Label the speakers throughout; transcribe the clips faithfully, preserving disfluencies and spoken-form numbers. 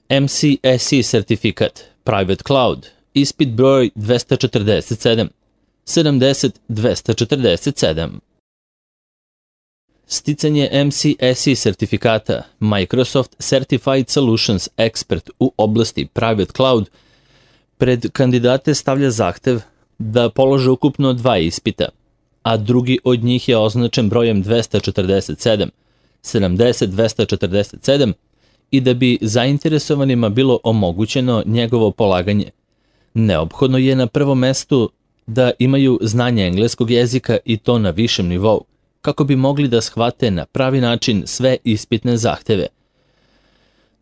Speaker 1: M C S E sertifikat, Private Cloud, ispit broj dvesta četrdeset sedam, sedamdeset dvesta četrdeset sedam. Sticanje M C S E sertifikata Microsoft Certified Solutions Expert u oblasti Private Cloud pred kandidate stavlja zahtev da polože ukupno dva ispita, a drugi od njih je označen brojem dvesta četrdeset sedam, sedamdeset dvesta četrdeset sedam i da bi zainteresovanima bilo omogućeno njegovo polaganje. Neophodno je na prvom mestu da imaju znanje engleskog jezika i to na višem nivou, kako bi mogli da shvate na pravi način sve ispitne zahteve.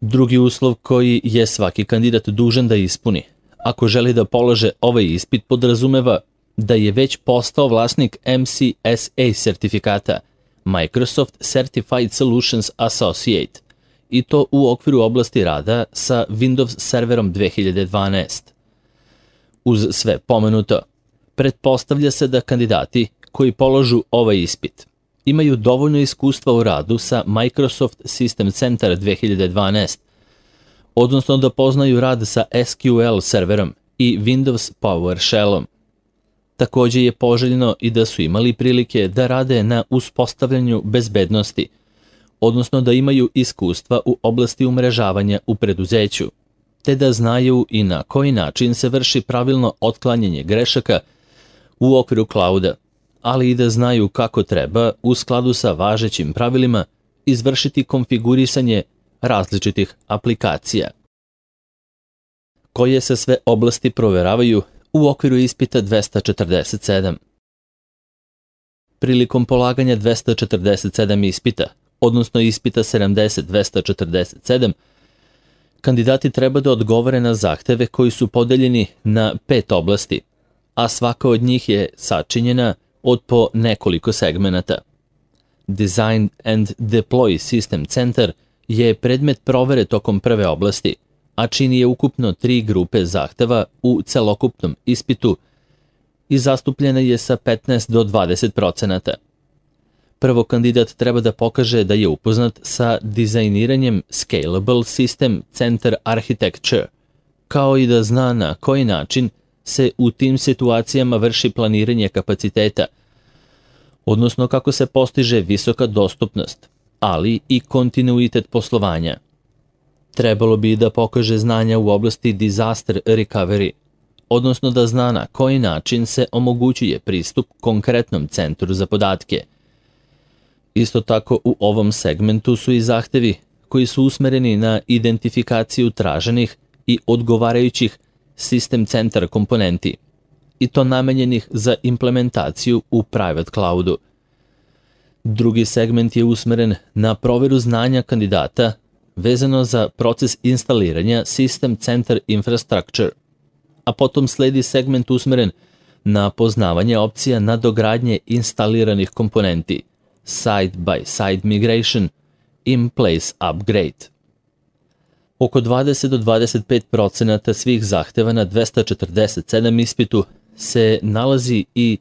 Speaker 1: Drugi uslov koji je svaki kandidat dužan da ispuni, ako želi da polože ovaj ispit, podrazumeva da je već postao vlasnik M C S A sertifikata Microsoft Certified Solutions Associate i to u okviru oblasti rada sa Windows serverom dve hiljade dvanaest. Uz sve pomenuto, pretpostavlja se da kandidati koji položu ovaj ispit imaju dovoljno iskustva u radu sa Microsoft System Center dve hiljade dvanaest, odnosno da poznaju rad sa S Q L serverom i Windows PowerShellom. Također je poželjno i da su imali prilike da rade na uspostavljanju bezbednosti, odnosno da imaju iskustva u oblasti umrežavanja u preduzeću, te da znaju i na koji način se vrši pravilno otklanjanje grešaka u okviru clouda, ali i da znaju kako treba, u skladu sa važećim pravilima, izvršiti konfigurisanje različitih aplikacija. Koje se sve oblasti proveravaju u okviru ispita dvesta četrdeset sedam. Prilikom polaganja dvesta četrdeset sedam ispita, odnosno ispita sedamdeset dvesta četrdeset sedam, kandidati treba da odgovore na zahteve koji su podeljeni na pet oblasti, a svaka od njih je sačinjena od po nekoliko segmenata. Design and Deploy System Center je predmet provere tokom prve oblasti, a čini je ukupno tri grupe zahteva u celokupnom ispitu i zastupljena je sa petnaest do dvadeset procenata. Prvo, kandidat treba da pokaže da je upoznat sa dizajniranjem Scalable System Center Architecture, kao i da zna na koji način se u tim situacijama vrši planiranje kapaciteta, odnosno kako se postiže visoka dostupnost, ali i kontinuitet poslovanja. Trebalo bi da pokaže znanja u oblasti Disaster Recovery, odnosno da zna na koji način se omogućuje pristup konkretnom centru za podatke. Isto tako u ovom segmentu su i zahtevi koji su usmereni na identifikaciju traženih i odgovarajućih System Center komponenti, i to namenjenih za implementaciju u Private Cloudu. Drugi segment je usmeren na proveru znanja kandidata vezano za proces instaliranja System Center Infrastructure, a potom sledi segment usmeren na poznavanje opcija nadogradnje instaliranih komponenti, side-by-side migration, in-place upgrade. Oko dvadeset do dvadeset pet procenata svih zahteva na dvesta četrdeset sedam ispitu se nalazi i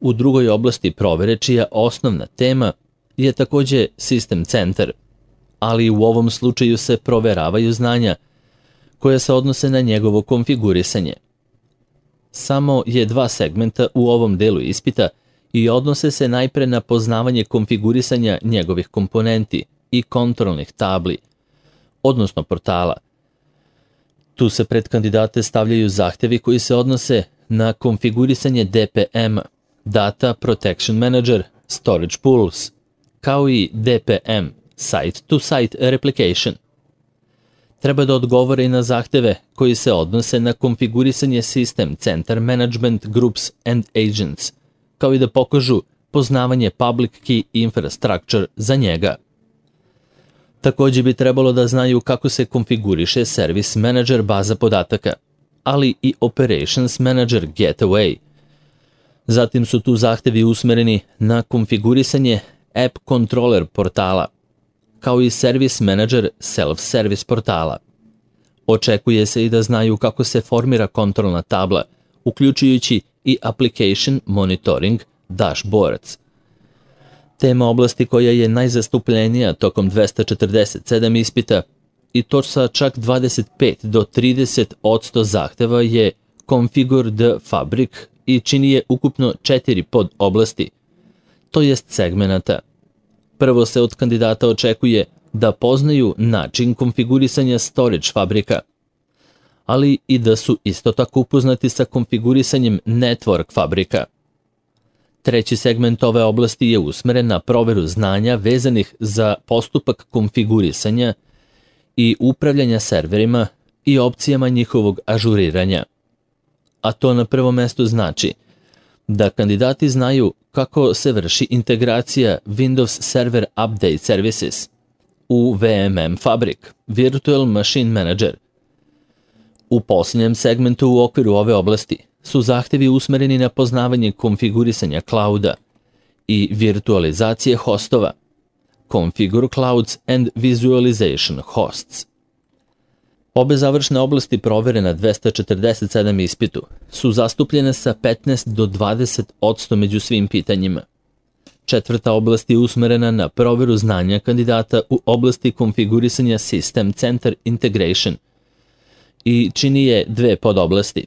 Speaker 1: u drugoj oblasti provere, čija osnovna tema je također System Center, ali u ovom slučaju se proveravaju znanja koja se odnose na njegovo konfigurisanje. Samo je dva segmenta u ovom delu ispita i odnose se najpre na poznavanje konfigurisanja njegovih komponenti i kontrolnih tabli, odnosno portala. Tu se pred kandidate stavljaju zahtevi koji se odnose na konfigurisanje D P M, Data Protection Manager, Storage Pools, kao i D P M, Site-to-Site Replication. Treba da odgovore i na zahteve koji se odnose na konfigurisanje System Center Management Groups and Agents, kao i da pokažu poznavanje Public Key Infrastructure za njega. Također bi trebalo da znaju kako se konfiguriše Service Manager baza podataka, ali i Operations Manager Gateway. Zatim su tu zahtevi usmereni na konfigurisanje App Controller portala, kao i Service Manager Self-Service portala. Očekuje se i da znaju kako se formira kontrolna tabla, uključujući i Application Monitoring Dashboards. Tema oblasti koja je najzastupljenija tokom dvesta četrdeset sedam ispita i to sa čak dvadeset pet do trideset odsto zahteva je Configure the Fabric i čini je ukupno četiri pod oblasti, to jest segmenata. Prvo se od kandidata očekuje da poznaju način konfigurisanja storage fabrika, ali i da su isto tako upoznati sa konfigurisanjem network fabrika. Treći segment ove oblasti je usmeren na proveru znanja vezanih za postupak konfigurisanja i upravljanja serverima i opcijama njihovog ažuriranja. A to na prvom mestu znači da kandidati znaju kako se vrši integracija Windows Server Update Services u V M M Fabric, Virtual Machine Manager. U posljednjem segmentu u okviru ove oblasti su zahtevi usmereni na poznavanje konfigurisanja clouda i virtualizacije hostova, Configure Clouds and Visualization Hosts. Obe završne oblasti provere na dvesta četrdeset sedam ispitu su zastupljene sa petnaest do dvadeset odsto među svim pitanjima. Četvrta oblast je usmerena na proveru znanja kandidata u oblasti konfigurisanja System Center Integration i čini je dve podoblasti.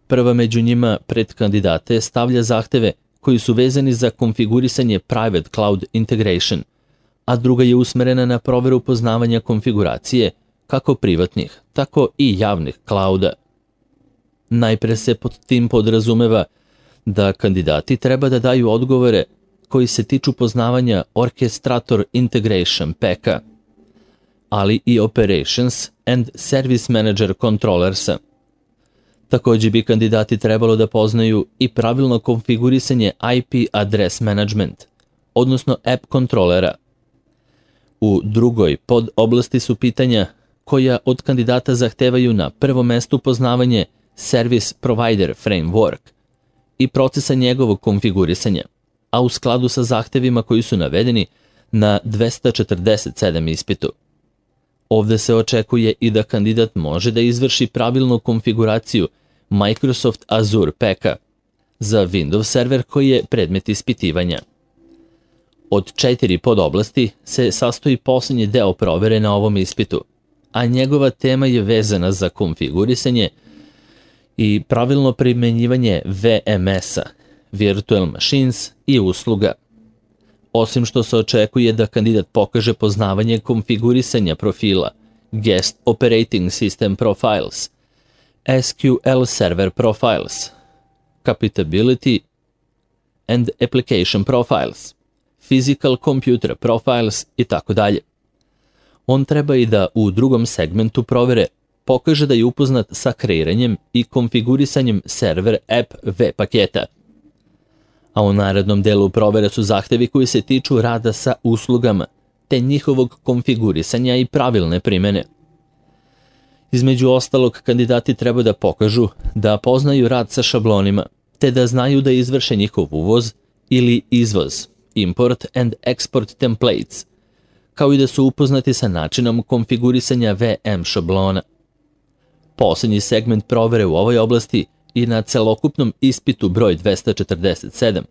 Speaker 1: Prva među njima pred kandidate stavlja zahteve koji su vezani za konfigurisanje Private Cloud Integration, a druga je usmerena na proveru poznavanja konfiguracije kako privatnih, tako i javnih klauda. Najpre se pod tim podrazumeva da kandidati treba da daju odgovore koji se tiču poznavanja Orchestrator Integration Packa, ali i Operations and Service Manager Controllersa. Također bi kandidati trebalo da poznaju i pravilno konfigurisanje I P Address Management, odnosno App Controllera. U drugoj pod oblasti su pitanja koja od kandidata zahtevaju na prvom mestu poznavanje Service Provider Framework i procesa njegovog konfigurisanja, a u skladu sa zahtevima koji su navedeni na dvesta četrdeset sedam ispitu. Ovde se očekuje i da kandidat može da izvrši pravilnu konfiguraciju Microsoft Azure Packa za Windows server koji je predmet ispitivanja. Od četiri podoblasti se sastoji posljednji deo provere na ovom ispitu, a njegova tema je vezana za konfigurisanje i pravilno primenjivanje V M S-a, Virtual Machines i usluga. Osim što se očekuje da kandidat pokaže poznavanje konfigurisanja profila Guest Operating System Profiles, S Q L Server Profiles, Compatibility and Application Profiles, Physical Computer Profiles i tako dalje. On treba i da u drugom segmentu provere pokaže da je upoznat sa kreiranjem i konfigurisanjem server app V paketa. A u narednom delu provere su zahtevi koji se tiču rada sa uslugama, te njihovog konfigurisanja i pravilne primene. Između ostalog, kandidati treba da pokažu da poznaju rad sa šablonima, te da znaju da izvrše njihov uvoz ili izvoz, import and export templates, kao i da su upoznati sa načinom konfigurisanja V M šablona. Posljednji segment provere u ovoj oblasti i na celokupnom ispitu broj dvesta četrdeset sedam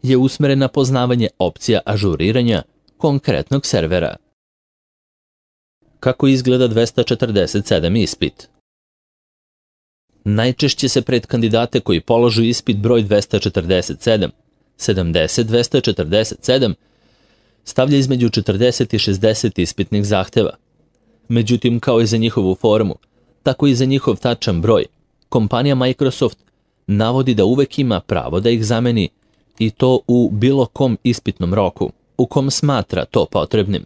Speaker 1: je usmeren na poznavanje opcija ažuriranja konkretnog servera. Kako izgleda dvesta četrdeset sedam ispit? Najčešće se pred kandidate koji položu ispit broj dvesta četrdeset sedam, sedamdeset dvesta četrdeset sedam stavlja između četrdeset i šezdeset ispitnih zahteva. Međutim, kao i za njihovu formu, tako i za njihov tačan broj, kompanija Microsoft navodi da uvek ima pravo da ih zameni i to u bilo kom ispitnom roku, u kom smatra to potrebnim.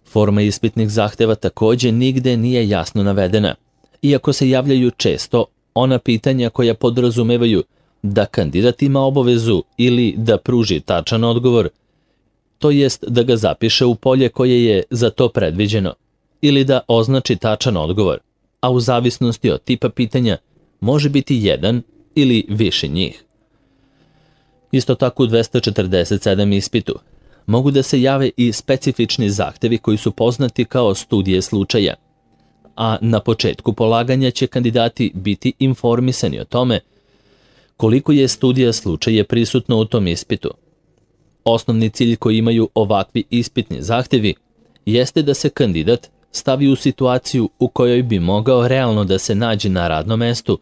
Speaker 1: Forma ispitnih zahteva također nigde nije jasno navedena, iako se javljaju često ona pitanja koja podrazumevaju da kandidat ima obavezu ili da pruži tačan odgovor, to jest da ga zapiše u polje koje je za to predviđeno, ili da označi tačan odgovor, a u zavisnosti od tipa pitanja može biti jedan ili više njih. Isto tako u dvesta četrdeset sedam ispitu mogu da se jave i specifični zahtevi koji su poznati kao studije slučaja, a na početku polaganja će kandidati biti informisani o tome koliko je studija slučaja prisutno u tom ispitu. Osnovni cilj koji imaju ovakvi ispitni zahtevi jeste da se kandidat stavi u situaciju u kojoj bi mogao realno da se nađe na radnom mestu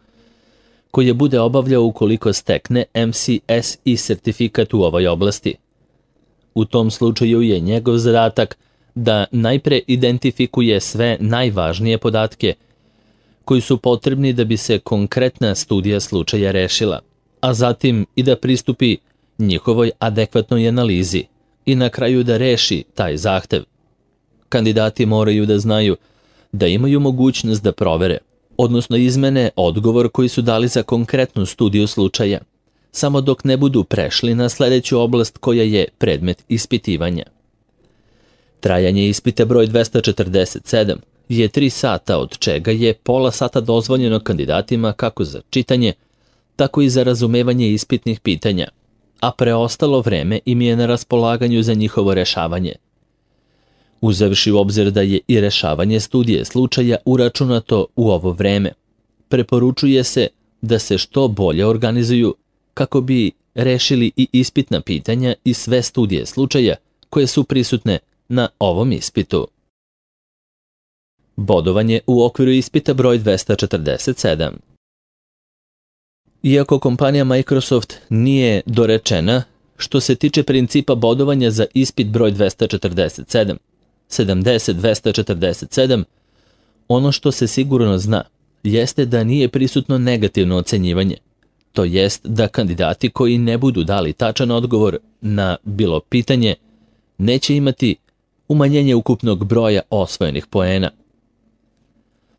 Speaker 1: koje bude obavljao ukoliko stekne M C S E sertifikat u ovoj oblasti. U tom slučaju je njegov zadatak da najpre identifikuje sve najvažnije podatke koji su potrebni da bi se konkretna studija slučaja rešila, a zatim i da pristupi njihovoj adekvatnoj analizi i na kraju da reši taj zahtev. Kandidati moraju da znaju da imaju mogućnost da provere, odnosno izmene odgovor koji su dali za konkretnu studiju slučaja, samo dok ne budu prešli na sledeću oblast koja je predmet ispitivanja. Trajanje ispita broj dvesta četrdeset sedam je tri sata, od čega je pola sata dozvoljeno kandidatima kako za čitanje, tako i za razumevanje ispitnih pitanja, a preostalo vreme im je na raspolaganju za njihovo rešavanje. Uzevši u obzir da je i rešavanje studije slučaja uračunato u ovo vreme, preporučuje se da se što bolje organizuju kako bi rešili i ispitna pitanja i sve studije slučaja koje su prisutne na ovom ispitu. Bodovanje u okviru ispita broj dvesta četrdeset sedam. Iako kompanija Microsoft nije dorečena što se tiče principa bodovanja za ispit broj dvesta četrdeset sedam, sedamdeset dvesta četrdeset sedam, ono što se sigurno zna jeste da nije prisutno negativno ocenjivanje, to jest da kandidati koji ne budu dali tačan odgovor na bilo pitanje neće imati umanjenje ukupnog broja osvojenih poena.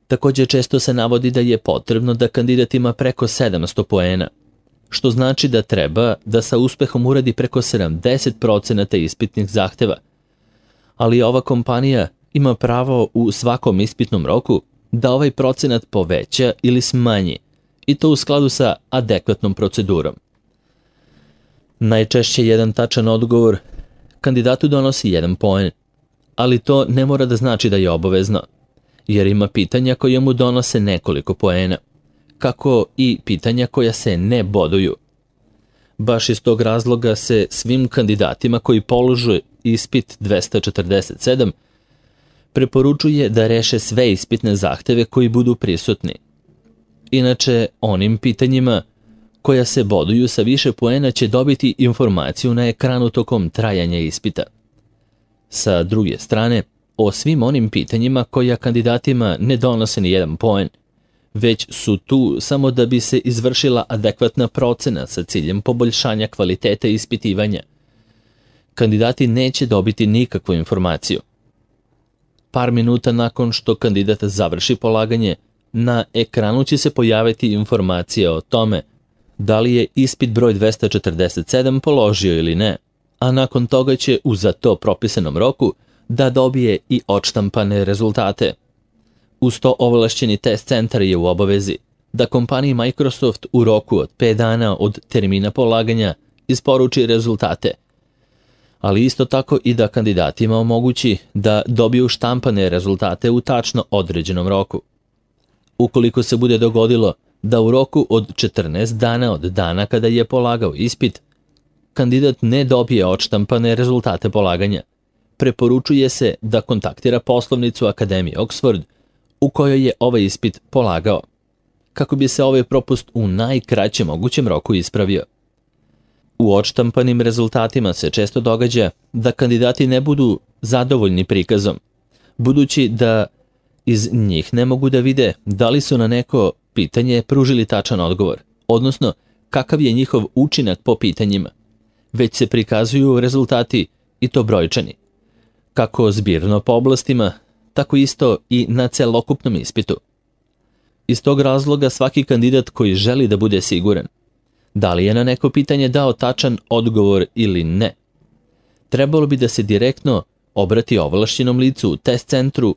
Speaker 1: Također često se navodi da je potrebno da kandidat ima preko sedamsto poena, što znači da treba da sa uspehom uradi preko sedamdeset procenata ispitnih zahteva, ali ova kompanija ima pravo u svakom ispitnom roku da ovaj procenat poveća ili smanji, i to u skladu sa adekvatnom procedurom. Najčešće jedan tačan odgovor kandidatu donosi jedan poen, ali to ne mora da znači da je obavezno, jer ima pitanja koja mu donose nekoliko poena, kako i pitanja koja se ne boduju. Baš iz tog razloga se svim kandidatima koji polože ispit dvesta četrdeset sedam preporučuje da reše sve ispitne zahteve koji budu prisutni. Inače, onim pitanjima koja se boduju sa više poena će dobiti informaciju na ekranu tokom trajanja ispita. Sa druge strane, o svim onim pitanjima koja kandidatima ne donose ni jedan poen, već su tu samo da bi se izvršila adekvatna procena sa ciljem poboljšanja kvaliteta ispitivanja, kandidati neće dobiti nikakvu informaciju. Par minuta nakon što kandidat završi polaganje, na ekranu će se pojaviti informacija o tome da li je ispit broj dvesta četrdeset sedam položio ili ne, a nakon toga će u za to propisanom roku da dobije i odštampane rezultate. Uz to ovlašćeni test centar je u obavezi da kompaniji Microsoft u roku od pet dana od termina polaganja isporuči rezultate, ali isto tako i da kandidatima omogući da dobiju štampane rezultate u tačno određenom roku. Ukoliko se bude dogodilo da u roku od četrnaest dana od dana kada je polagao ispit, kandidat ne dobije odštampane rezultate polaganja, preporučuje se da kontaktira poslovnicu Akademije Oxford u kojoj je ovaj ispit polagao, kako bi se ovaj propust u najkraćem mogućem roku ispravio. U odštampanim rezultatima se često događa da kandidati ne budu zadovoljni prikazom, budući da iz njih ne mogu da vide da li su na neko pitanje pružili tačan odgovor, odnosno kakav je njihov učinak po pitanjima, već se prikazuju rezultati i to brojčani, kako zbirno po oblastima, tako isto i na celokupnom ispitu. Iz tog razloga svaki kandidat koji želi da bude siguran da li je na neko pitanje dao tačan odgovor ili ne, trebalo bi da se direktno obrati ovlašćenom licu u test centru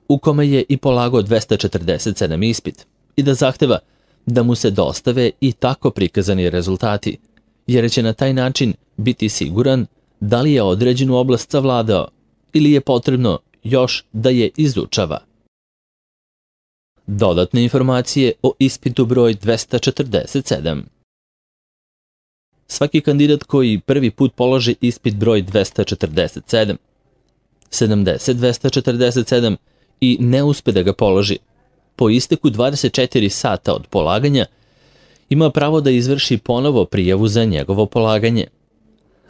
Speaker 1: u kome je i polagao dvesta četrdeset sedam ispit i da zahteva da mu se dostave i tako prikazani rezultati, jer će na taj način biti siguran da li je određenu oblast savladao ili je potrebno još da je izučava. Dodatne informacije o ispitu broj dvesta četrdeset sedam. Svaki kandidat koji prvi put položi ispit broj dvesta četrdeset sedam, sedamdeset dvesta četrdeset sedam i ne uspe da ga položi, po isteku dvadeset četiri sata od polaganja ima pravo da izvrši ponovo prijavu za njegovo polaganje.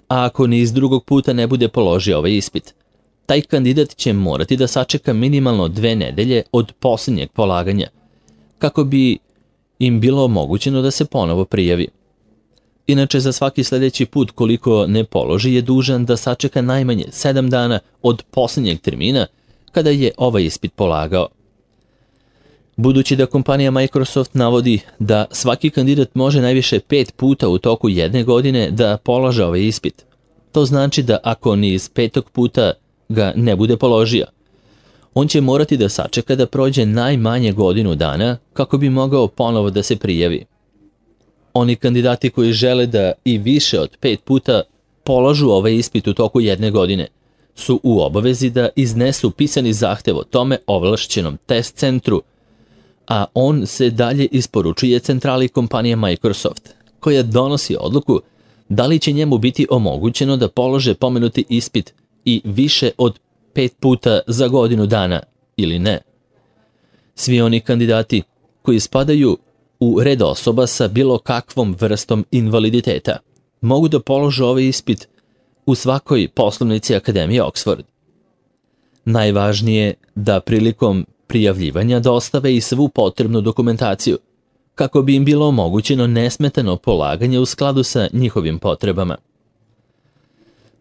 Speaker 1: A ako ni iz drugog puta ne bude položio ovaj ispit, taj kandidat će morati da sačeka minimalno dve nedelje od posljednjeg polaganja, kako bi im bilo omogućeno da se ponovo prijavi. Inače, za svaki sljedeći put koliko ne položi je dužan da sačeka najmanje sedam dana od posljednjeg termina kada je ovaj ispit polagao. Budući da kompanija Microsoft navodi da svaki kandidat može najviše pet puta u toku jedne godine da polaže ovaj ispit, to znači da ako ni iz petog puta ga ne bude položio, on će morati da sačeka da prođe najmanje godinu dana kako bi mogao ponovo da se prijavi. Oni kandidati koji žele da i više od pet puta polažu ovaj ispit u toku jedne godine su u obavezi da iznesu pisani zahtev o tome ovlašćenom test centru, a on se dalje isporučuje centrali kompanije Microsoft, koja donosi odluku da li će njemu biti omogućeno da polože pomenuti ispit i više od pet puta za godinu dana ili ne. Svi oni kandidati koji spadaju u red osoba sa bilo kakvom vrstom invaliditeta mogu da polože ovaj ispit u svakoj poslovnici Akademije Oxford. Najvažnije je da prilikom prijavljivanja dostave i svu potrebnu dokumentaciju, kako bi im bilo omogućeno nesmetano polaganje u skladu sa njihovim potrebama.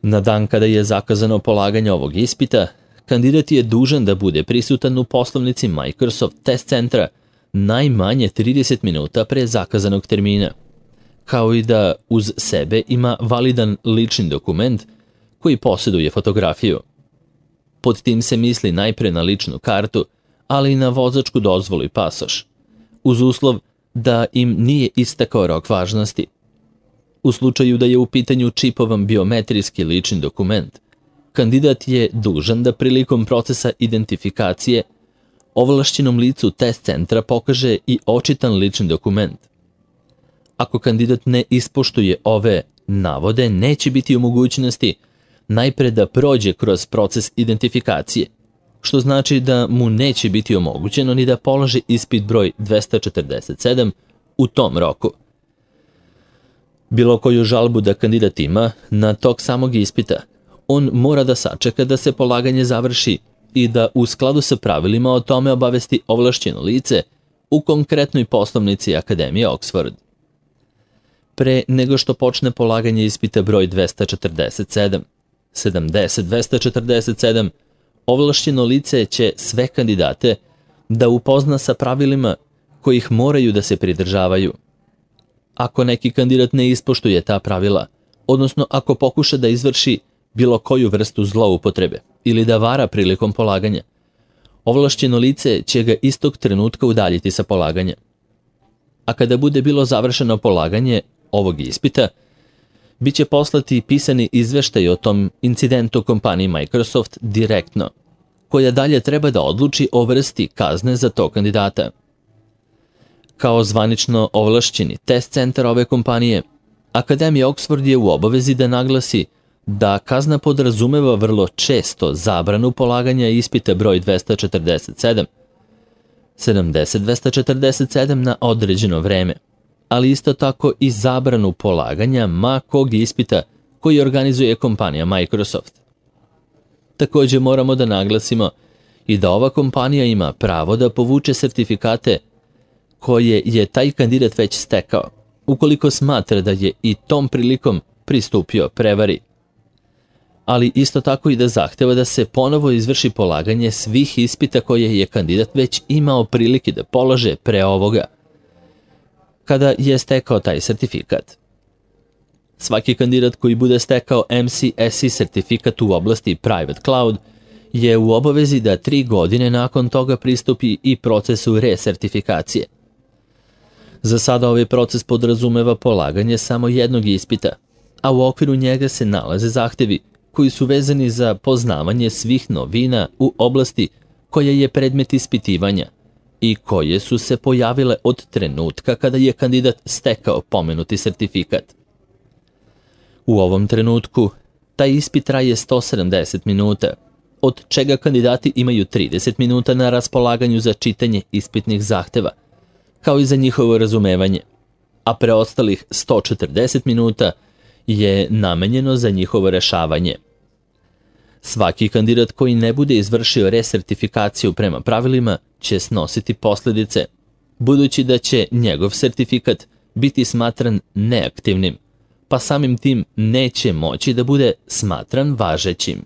Speaker 1: Na dan kada je zakazano polaganje ovog ispita, kandidat je dužan da bude prisutan u poslovnici Microsoft Test Centra najmanje trideset minuta pre zakazanog termina, kao i da uz sebe ima validan lični dokument koji posjeduje fotografiju. Pod tim se misli najpre na ličnu kartu, ali i na vozačku dozvolu i pasoš, uz uslov da im nije istekao rok važnosti. U slučaju da je u pitanju čipovan biometrijski lični dokument, kandidat je dužan da prilikom procesa identifikacije ovlašćenom licu test centra pokaže i očitan lični dokument. Ako kandidat ne ispoštuje ove navode, neće biti u mogućnosti najpre da prođe kroz proces identifikacije, što znači da mu neće biti omogućeno ni da položi ispit broj dvesta četrdeset sedam u tom roku. Bilo koju žalbu da kandidat ima na tog samog ispita, on mora da sačeka da se polaganje završi i da u skladu sa pravilima o tome obavesti ovlašćeno lice u konkretnoj poslovnici Akademije Oxford. Pre nego što počne polaganje ispita broj dvesta četrdeset sedam, sedamdeset dvesta četrdeset sedam, ovlašćeno lice će sve kandidate da upozna sa pravilima kojih moraju da se pridržavaju. Ako neki kandidat ne ispoštuje ta pravila, odnosno ako pokuša da izvrši bilo koju vrstu zloupotrebe ili da vara prilikom polaganja, ovlašćeno lice će ga istog trenutka udaljiti sa polaganja. A kada bude bilo završeno polaganje ovog ispita, bit će poslati pisani izveštaj o tom incidentu kompaniji Microsoft direktno, koja dalje treba da odluči o vrsti kazne za tog kandidata. Kao zvanično ovlašćeni test centar ove kompanije, Akademija Oxford je u obavezi da naglasi da kazna podrazumeva vrlo često zabranu polaganja ispita broj dvesta četrdeset sedam, sedamdeset dvesta četrdeset sedam na određeno vreme, ali isto tako i zabranu polaganja ma kog ispita koji organizuje kompanija Microsoft. Također moramo da naglasimo i da ova kompanija ima pravo da povuče sertifikate koje je taj kandidat već stekao, ukoliko smatra da je i tom prilikom pristupio prevari. Ali isto tako i da zahteva da se ponovo izvrši polaganje svih ispita koje je kandidat već imao prilike da polože pre ovoga, kada je stekao taj sertifikat. Svaki kandidat koji bude stekao M C S E sertifikat u oblasti Private Cloud je u obavezi da tri godine nakon toga pristupi i procesu resertifikacije. Za sada ovaj proces podrazumeva polaganje samo jednog ispita, a u okviru njega se nalaze zahtevi koji su vezani za poznavanje svih novina u oblasti koja je predmet ispitivanja i koje su se pojavile od trenutka kada je kandidat stekao pomenuti sertifikat. U ovom trenutku taj ispit traje sto sedamdeset minuta od čega kandidati imaju trideset minuta na raspolaganju za čitanje ispitnih zahteva, kao i za njihovo razumevanje, a preostalih sto četrdeset minuta je namenjeno za njihovo rešavanje. Svaki kandidat koji ne bude izvršio resertifikaciju prema pravilima će snositi posljedice, budući da će njegov sertifikat biti smatran neaktivnim, pa samim tim neće moći da bude smatran važećim.